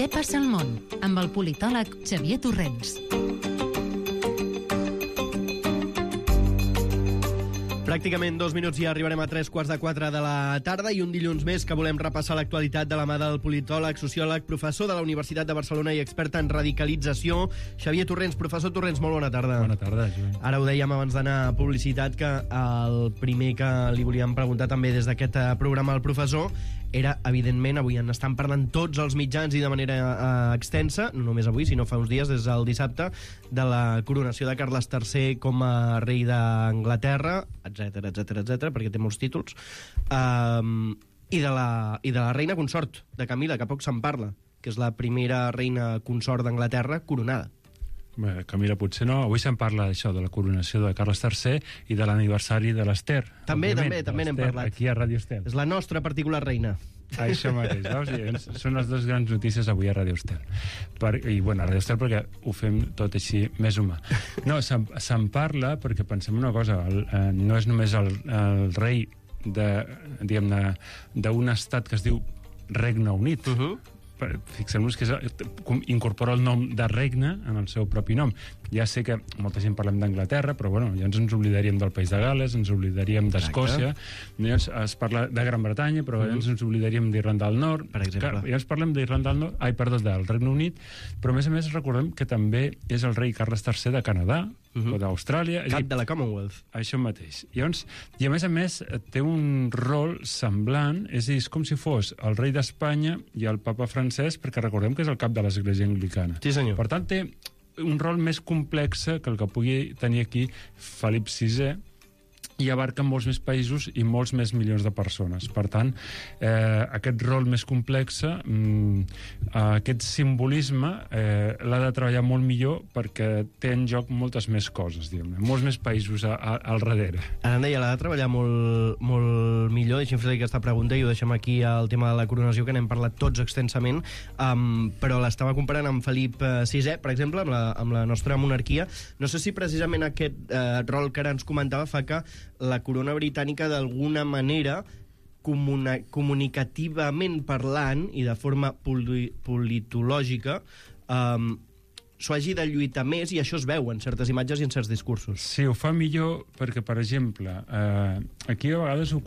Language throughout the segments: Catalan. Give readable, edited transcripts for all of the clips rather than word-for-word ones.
Què passa al món? Amb el politòleg Xavier Torrents. Pràcticament 2 minuts i arribarem a 3:45 de la tarda i un dilluns més que volem repassar l'actualitat de la mà del politòleg, sociòleg, professor de la Universitat de Barcelona i expert en radicalització, Xavier Torrents. Professor Torrents, molt bona tarda. Bona tarda, Joan. Ara ho dèiem abans d'anar a publicitat, que el primer que li volíem preguntar també des d'aquest programa al professor era, evidentment, avui en estan parlant tots els mitjans i de manera extensa, no només avui, sinó fa uns dies, des del dissabte, de la coronació de Carles III com a rei d'Anglaterra, etc, perquè té molts títols, i de la reina consort de Camila, que poc se'n parla, que és la primera reina consort d'Anglaterra coronada. Bé, Camila potser no. Avui se'n parla d'això, de la coronació de Carles III i de l'aniversari de l'Ester. També n'hem parlat. Aquí a Ràdio Estel. És la nostra particular reina. Això mateix, veus? Són les dues grans notícies avui a Ràdio Estel. I, bueno, a Ràdio Estel perquè ho fem tot així més humà. No, se'n parla perquè pensem una cosa, no és només el rei d'un estat que es diu Regne Unit. Fixem-nos que incorpora el nom de regne en el seu propi nom. Ja sé que molta gent parlem d'Anglaterra, però bueno, ja ens oblidaríem del País de Gales, ens oblidaríem d'Escòcia, llavors es parla de Gran Bretanya, però llavors ens oblidaríem d'Irlanda del Nord, per exemple. Llavors parlem d'Irlanda del Nord, del Regne Unit, però a més recordem que també és el rei Carles III de Canadà, o d'Austràlia. Cap de la Commonwealth. Això mateix. I a més té un rol semblant, és a dir, és com si fos el rei d'Espanya i el papa francès, perquè recordem que és el cap de l'Església Anglicana. Sí, senyor. Per tant, té un rol més complex que el que pugui tenir aquí Felip VI, i abarca molts més països i molts més milions de persones. Per tant, aquest rol més complex, aquest simbolisme, l'ha de treballar molt millor perquè té en joc moltes més coses, diguem-ne, molts més països al darrere. Ara em deia, l'ha de treballar molt millor. Deixem fer aquesta pregunta i ho deixem aquí al tema de la coronació, que n'hem parlat tots extensament, però l'estava comparant amb Felip VI, per exemple, amb la nostra monarquia. No sé si precisament aquest rol que ara ens comentava fa que la corona britànica d'alguna manera comunicativament parlant i de forma politològica s'ho hagi de lluitar més, i això es veu en certes imatges i en certs discursos. Sí, ho fa millor perquè, per exemple, aquí a vegades ho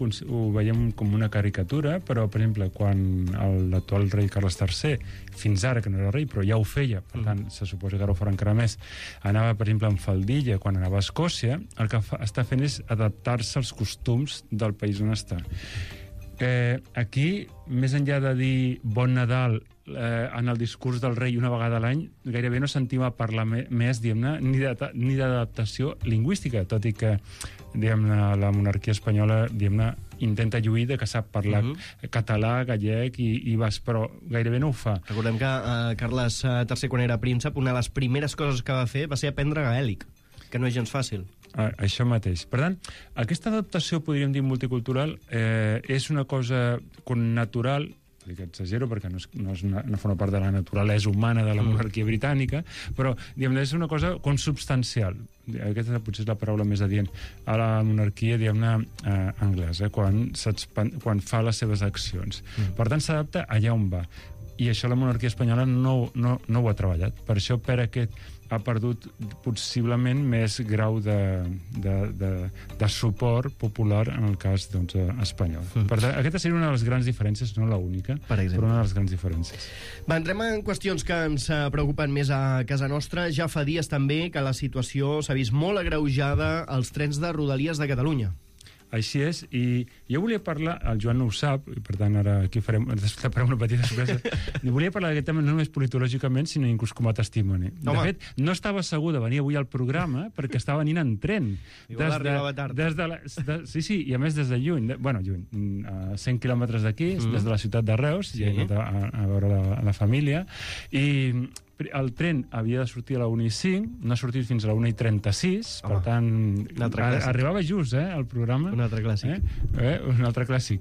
veiem com una caricatura, però, per exemple, quan l'actual rei Carles III, fins ara que no era rei, però ja ho feia, per tant, se suposa que ara ho farà encara més, anava, per exemple, amb faldilla quan anava a Escòcia, el que està fent és adaptar-se als costums del país on està. Aquí, més enllà de dir bon Nadal en el discurs del rei una vegada a l'any, gairebé no sentim a parlar més, diguem-ne, ni d'adaptació lingüística, tot i que, diguem-ne, la monarquia espanyola, diguem-ne, intenta lluir de que sap parlar català, gallec i basc, però gairebé no ho fa. Recordem que Carles III, quan era príncep, una de les primeres coses que va fer va ser aprendre gaèlic, que no és gens fàcil. Això mateix. Per tant, aquesta adaptació, podríem dir, multicultural, és una cosa natural, que exagero perquè no forma part de la naturalesa humana de la monarquia britànica, però diguem-ne, és una cosa com substancial. Aquesta potser és la paraula més adient a la monarquia, diguem-ne, anglesa, quan fa les seves accions. Per tant, s'adapta allà on va. I això la monarquia espanyola no ho ha treballat. Per això ha perdut possiblement més grau de suport popular en el cas espanyol. Per tant, aquesta seria una de les grans diferències, no l'única, però una de les grans diferències. Entrem en qüestions que ens preocupen més a casa nostra. Ja fa dies també que la situació s'ha vist molt agreujada als trens de Rodalies de Catalunya. Així és, i jo volia parlar, el Joan no ho sap, i per tant ara aquí farem una petita sorpresa, i volia parlar d'aquest tema no només politològicament, sinó inclús com a testimoni. De fet, no estava segur de venir avui al programa perquè estava venint en tren. Igual arribava tard. Sí, i a més des de lluny, a 100 quilòmetres d'aquí, des de la ciutat de Reus, i he anat a veure la família, i el tren havia de sortir a la 1:05, no ha sortit fins a la 1:36, per tant, arribava just, el programa. Un altre clàssic. Un altre clàssic.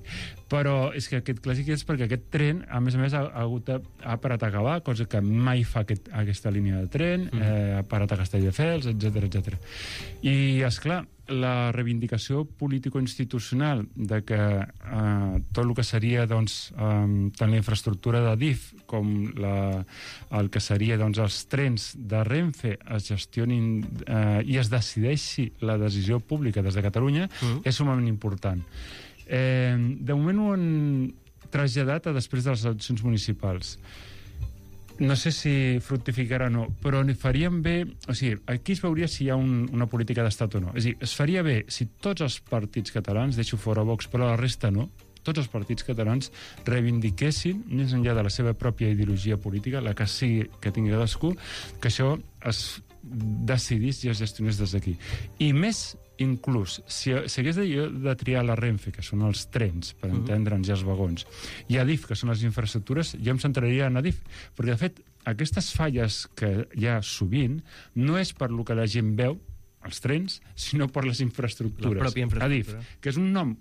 Però és que aquest clàssic és perquè aquest tren, a més, ha parat a Gavà, cosa que mai fa aquesta línia de tren, ha parat a Castelldefels, etc. I, esclar, la reivindicació político-institucional de que tot el que seria tant la infraestructura de DIF com el que seria els trens de Renfe es gestionin i es decideixi la decisió pública des de Catalunya és sumament important. De moment ho han traslladat a després de les eleccions municipals. No sé si fructificarà o no, però faríem bé... O sigui, aquí es veuria si hi ha una política d'estat o no. És a dir, es faria bé si tots els partits catalans, deixo fora Vox, però la resta no, tots els partits catalans reivindiquessin, més enllà de la seva pròpia ideologia política, la que sigui que tingui cadascú, que això es decidís i es gestionés des d'aquí. I més, inclús, si hagués de triar la Renfe, que són els trens, per entendre'ns, i els vagons, i Adif, que són les infraestructures, jo em centraria en Adif, perquè, de fet, aquestes falles que hi ha sovint no és per lo que la gent veu, els trens, sinó per les infraestructures. La pròpia infraestructura. Adif, que és un nom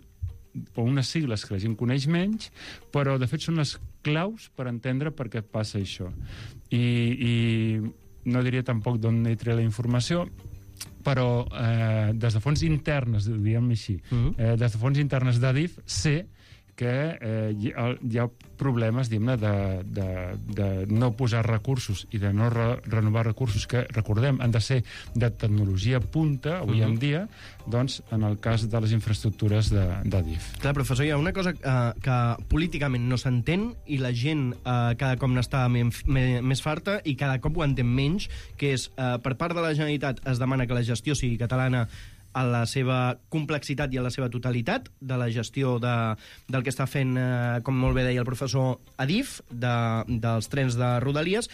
o unes sigles que la gent coneix menys, però, de fet, són les claus per entendre per què passa això. I no diria tampoc d'on he tret la informació, però des de fonts internes, diguem-ne així, des de fonts internes d'Adif, sé que hi ha problemes, diguem-ne, de no posar recursos i de no renovar recursos que, recordem, han de ser de tecnologia punta, avui en dia, doncs, en el cas de les infraestructures d'Adif. Clar, professor, hi ha una cosa que políticament no s'entén i la gent cada cop n'està més farta i cada cop ho entén menys, que és, per part de la Generalitat es demana que la gestió sigui catalana a la seva complexitat i a la seva totalitat, de la gestió del que està fent, com molt bé deia el professor, Adif, dels trens de Rodalies,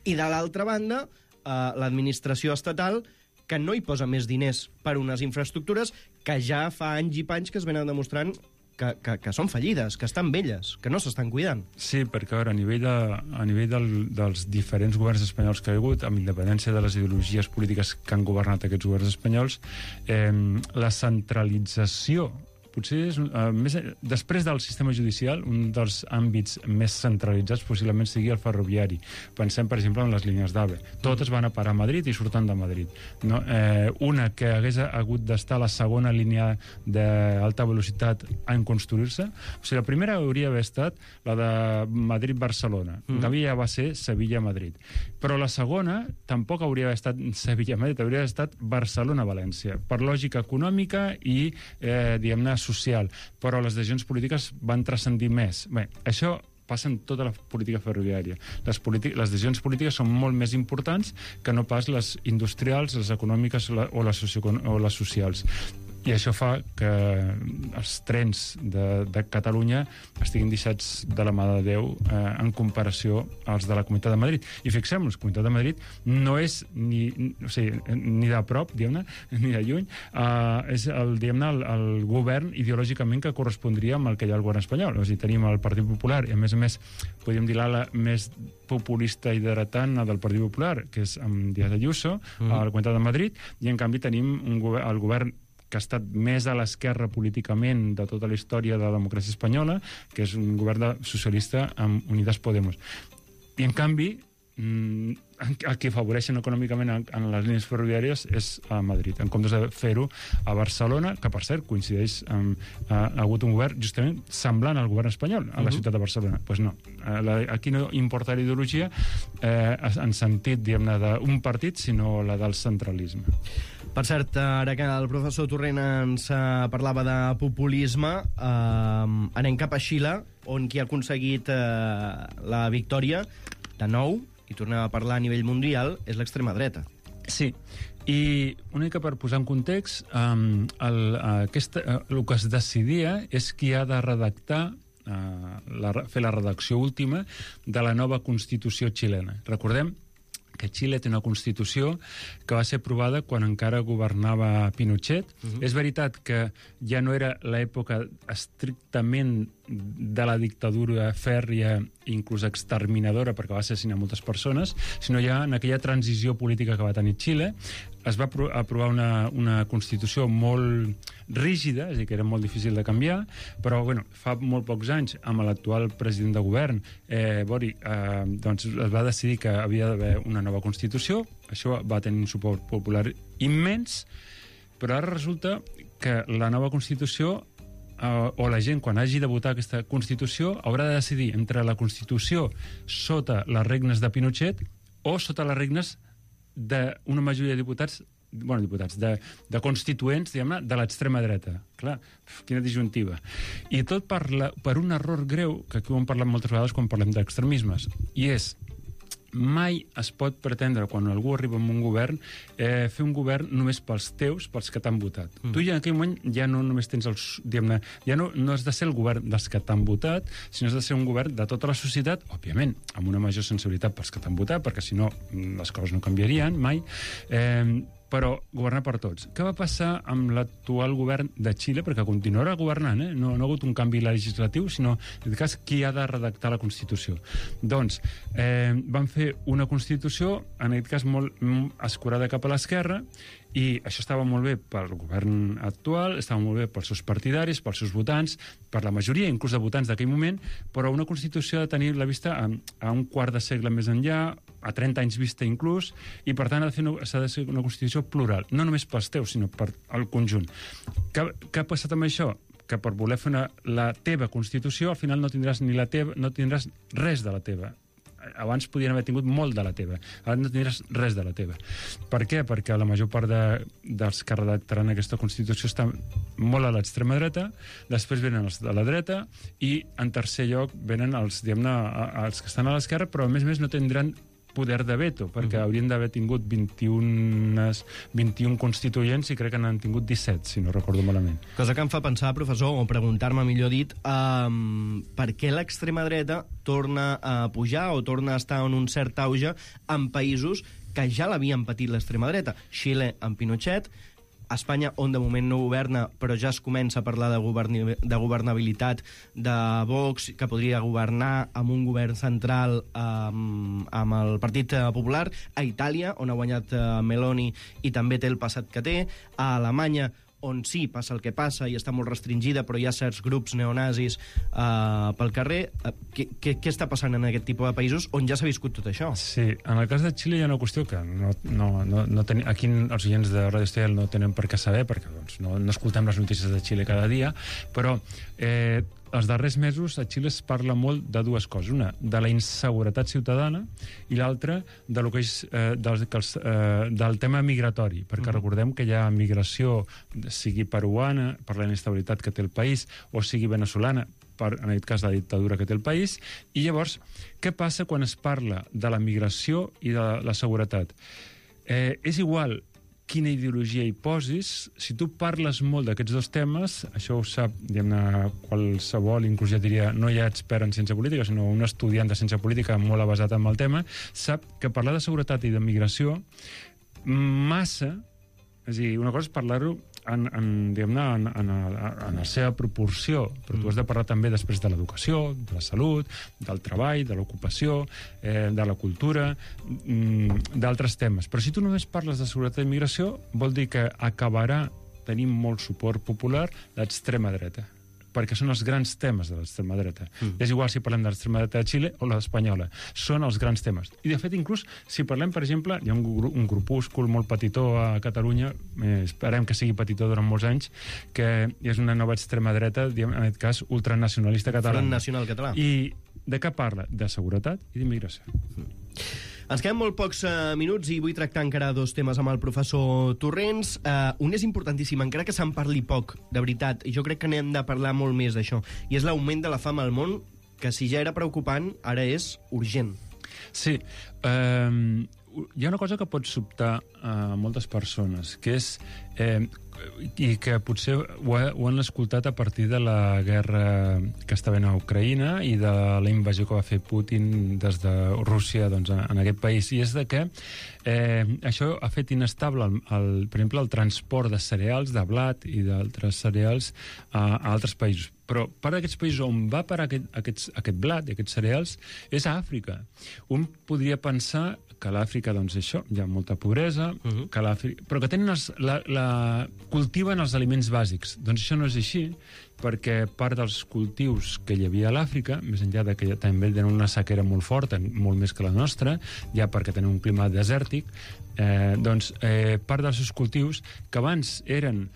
i de l'altra banda, l'administració estatal, que no hi posa més diners per unes infraestructures que ja fa anys i panys que es venen demostrant que són fallides, que estan velles, que no s'estan cuidant. Sí, perquè a nivell dels diferents governs espanyols que hi ha hagut, amb independència de les ideologies polítiques que han governat aquests governs espanyols, la centralització potser és després del sistema judicial, un dels àmbits més centralitzats possiblement sigui el ferroviari. Pensem, per exemple, en les línies d'AVE. Totes van a parar a Madrid i surten de Madrid. No? Una que hagués hagut d'estar a la segona línia d'alta velocitat en construir-se. O sigui, la primera hauria d'haver estat la de Madrid-Barcelona. En canvi ja va ser Sevilla-Madrid. Però la segona tampoc hauria d'haver estat Sevilla-Madrid, hauria d'haver estat Barcelona-València, per lògica econòmica i, diguem-ne, social, però les decisions polítiques van transcendir més. Bé, això passa en tota la política ferroviària. Les decisions polítiques són molt més importants que no pas les industrials, les econòmiques o les socials. I això fa que els trens de Catalunya estiguin deixats de la mà de Déu en comparació als de la Comunitat de Madrid. I fixem-nos, la Comunitat de Madrid no és ni de prop, diguem-ne, ni de lluny, és el govern ideològicament que correspondria amb el que hi ha al govern espanyol. O sigui, tenim el Partit Popular i, a més, podríem dir l'ala més populista i heretant del Partit Popular, que és amb Díaz Ayuso, a la Comunitat de Madrid, i en canvi tenim el govern que ha estat més a l'esquerra políticament de tota la història de la democràcia espanyola, que és un govern socialista amb Unidas Podemos. I, en canvi, el que afavoreixen econòmicament en les línies ferroviàries és a Madrid, en comptes de fer-ho a Barcelona, que, per cert, coincideix amb ha hagut un govern justament semblant al govern espanyol a la ciutat de Barcelona. Doncs no, aquí no importa la ideologia en sentit, diguem-ne, d'un partit, sinó la del centralisme. Per cert, ara que el professor Torrent ens parlava de populisme, anem cap a Xile, on qui ha aconseguit la victòria de nou, i tornem a parlar a nivell mundial, és l'extrema dreta. Sí, i una mica per posar en context, el que es decidia és qui ha de redactar, fer la redacció última de la nova Constitució xilena. Recordem que Xile té una Constitució que va ser aprovada quan encara governava Pinochet. És veritat que ja no era l'època estrictament de la dictadura fèrria, inclús exterminadora, perquè va assassinar moltes persones, sinó ja en aquella transició política que va tenir Xile, es va aprovar una Constitució molt rígida, és a dir, que era molt difícil de canviar, però fa molt pocs anys, amb l'actual president de govern, doncs es va decidir que havia d'haver una nova Constitució. Això va tenir un suport popular immens, Però ara resulta que la nova Constitució o la gent, quan hagi de votar aquesta Constitució, haurà de decidir entre la Constitució sota les regnes de Pinochet o sota les regnes d'una majoria de diputats, de constituents, diguem-ne, de l'extrema dreta. Clar, quina disjuntiva. I tot per un error greu, que aquí ho hem parlat moltes vegades quan parlem d'extremismes, i és mai es pot pretendre, quan algú arriba en un govern, fer un govern només pels teus, pels que t'han votat. Tu ja en aquell moment ja no només tens diguem-ne, ja no has de ser el govern dels que t'han votat, sinó has de ser un govern de tota la societat, òbviament, amb una major sensibilitat pels que t'han votat, perquè si no les coses no canviarien mai, però governar per tots. Què va passar amb l'actual govern de Xile? Perquè continuarà governant, no ha hagut un canvi legislatiu, sinó, en aquest cas, qui ha de redactar la Constitució. Doncs, van fer una Constitució, en aquest cas, molt escurada cap a l'esquerra, i això estava molt bé pel govern actual, estava molt bé pels seus partidaris, pels seus votants, per la majoria, inclús de votants d'aquell moment, però una Constitució ha de tenir la vista a un quart de segle més enllà, a 30 anys vista inclús, i per tant s'ha de ser una Constitució plural, no només pels teus, sinó per al conjunt. Què ha passat amb això? Que per voler fer la teva Constitució, al final no tindràs res de la teva. Abans podien haver tingut molt de la teva. Ara no tindràs res de la teva. Per què? Perquè la major part dels que redactaran aquesta Constitució estan molt a l'extrema dreta, després venen els de la dreta, i en tercer lloc venen els, diguem-ne, els que estan a l'esquerra, però a més no tindran poder de veto, perquè haurien d'haver tingut 21 constituents i crec que n'han tingut 17, si no recordo malament. Cosa que em fa pensar, professor, o preguntar-me, millor dit, per què l'extrema dreta torna a pujar o torna a estar en un cert auge en països que ja l'havien patit l'extrema dreta. Xile amb Pinochet, Espanya, on de moment no governa, però ja es comença a parlar de governabilitat de Vox, que podria governar amb un govern central amb el Partit Popular, a Itàlia, on ha guanyat Meloni i també té el passat que té, a Alemanya, on sí, passa el que passa i està molt restringida, però hi ha certs grups neonazis pel carrer. Què està passant en aquest tipus de països on ja s'ha viscut tot això? Sí, en el cas de Xile hi ha una qüestió que aquí els oients de Radio Estel no tenen per què saber, perquè no escoltem les notícies de Xile cada dia, però els darrers mesos a Xile es parla molt de dues coses. Una, de la inseguretat ciutadana, i l'altra, de lo que és del tema migratori, perquè recordem que hi ha migració, sigui peruana, per la inestabilitat que té el país, o sigui veneçolana, per, en aquest cas, la dictadura que té el país. I llavors, què passa quan es parla de la migració i de la seguretat? És igual quina ideologia hi posis, si tu parles molt d'aquests dos temes, això ho sap, diguem-ne, qualsevol, inclús ja diria, no hi ha expert en ciència política, sinó un estudiant de ciència política molt avasat en el tema, sap que parlar de seguretat i de migració massa, és a dir, una cosa és parlar-ho diguem-ne, en la seva proporció, però tu has de parlar també després de l'educació, de la salut, del treball, de l'ocupació, de la cultura, d'altres temes. Però si tu només parles de seguretat i migració, vol dir que acabarà tenint molt suport popular l'extrema dreta, perquè són els grans temes de l'extrema dreta. És igual si parlem de l'extrema dreta de Xile o la espanyola. Són els grans temes. I, de fet, inclús, si parlem, per exemple, hi ha un grupúscul molt petitó a Catalunya, esperem que sigui petitó durant molts anys, que és una nova extrema dreta, en aquest cas, ultranacionalista català. Front Nacional Català. I de què parla? De seguretat i d'immigració. Ens queden molt pocs minuts i vull tractar encara dos temes amb el professor Torrents. Un és importantíssim, encara que se'n parli poc, de veritat, i jo crec que n'hem de parlar molt més d'això, i és l'augment de la fam al món, que si ja era preocupant, ara és urgent. Sí, hi ha una cosa que pot sobtar a moltes persones, que és i que potser ho han escoltat a partir de la guerra que està havent a Ucraïna i de la invasió que va fer Putin des de Rússia, doncs, en aquest país, i és de que això ha fet inestable, per exemple, el transport de cereals, de blat i d'altres cereals a altres països. Però part d'aquests països on va parar aquest blat i aquests cereals és a Àfrica. Un podria pensar que a l'Àfrica, doncs, això, hi ha molta pobresa, però que tenen cultiven els aliments bàsics. Doncs això no és així. perquè part dels cultius que hi havia a l'Àfrica, més enllà de que també tenen una sequera molt forta, molt més que la nostra, ja perquè tenen un clima desèrtic, part dels seus cultius, que abans eren,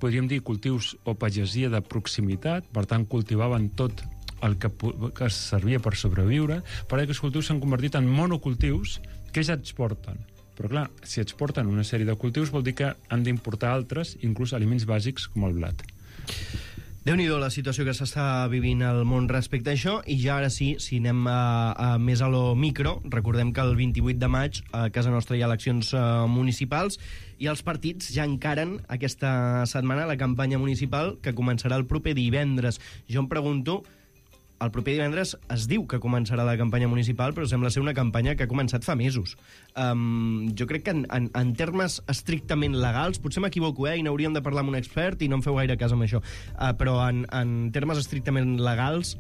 podríem dir, cultius o pagesia de proximitat, per tant cultivaven tot el que servia per sobreviure, però aquests cultius s'han convertit en monocultius que ja exporten. Però clar, si exporten una sèrie de cultius vol dir que han d'importar altres, inclús aliments bàsics com el blat. Déu-n'hi-do la situació que s'està vivint al món respecte a això, i ja ara sí, si anem més a lo micro, recordem que el 28 de maig a casa nostra hi ha eleccions municipals i els partits ja encaren aquesta setmana la campanya municipal que començarà el proper divendres. Jo em pregunto, el proper divendres es diu que començarà la campanya municipal, però sembla ser una campanya que ha començat fa mesos. Jo crec que en termes estrictament legals, potser m'equivoco, i n'hauríem de parlar amb un expert i no em feu gaire cas amb això, però en termes estrictament legals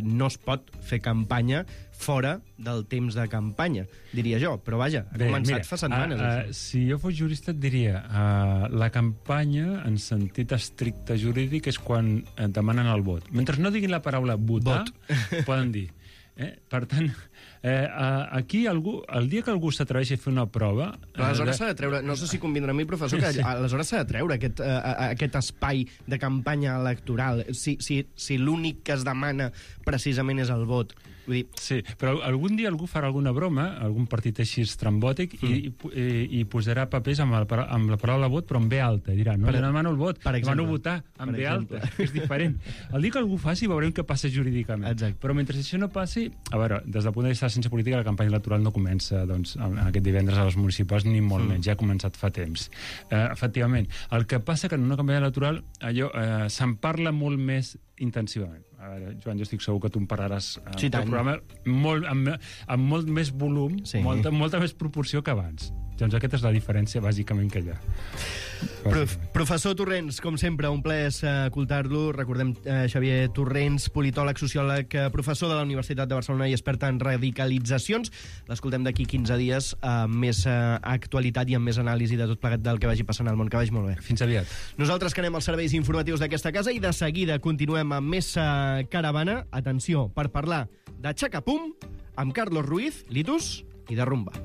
no es pot fer campanya fora del temps de campanya, diria jo. Però vaja, ha començat fa setmanes. Si jo fos jurista et diria la campanya, en sentit estricte jurídic, és quan demanen el vot. Mentre no diguin la paraula votar, poden dir. Per tant, aquí el dia que algú s'atreveixi a fer una prova... Aleshores s'ha de treure, no sé si convindrà amb mi, professor, que aleshores s'ha de treure aquest espai de campanya electoral, si l'únic que es demana precisament és el vot. Vull dir... Sí, però algun dia algú farà alguna broma, algun partit així estrambòtic, i posarà papers amb la paraula vot, però amb B alta. I dirà, no, jo demano el vot, demano votar amb B alta, que és diferent. El dia que algú faci, veurem què passa jurídicament. Exacte. Però mentre això no passi, a veure, des del punt de vista de la ciència política, la campanya electoral no comença aquest divendres a les municipals, ni molt menys, ja ha començat fa temps. Efectivament, el que passa que en una campanya electoral se'n parla molt més intensivament. A veure, Joan, jo estic segur que tu em parlaràs el programa amb molt més volum, molta més proporció que abans. Doncs aquesta és la diferència, bàsicament, que hi ha. Professor Torrents, com sempre, un plaer escoltar-lo. Recordem Xavier Torrents, politòleg, sociòleg, professor de la Universitat de Barcelona i expert en radicalitzacions. L'escoltem d'aquí 15 dies amb més actualitat i amb més anàlisi de tot plegat del que vagi passant al món. Que vagi molt bé. Fins aviat. Nosaltres que anem als serveis informatius d'aquesta casa i de seguida continuem amb més caravana. Atenció, per parlar de Xacapum amb Carlos Ruiz, Litus i de rumba.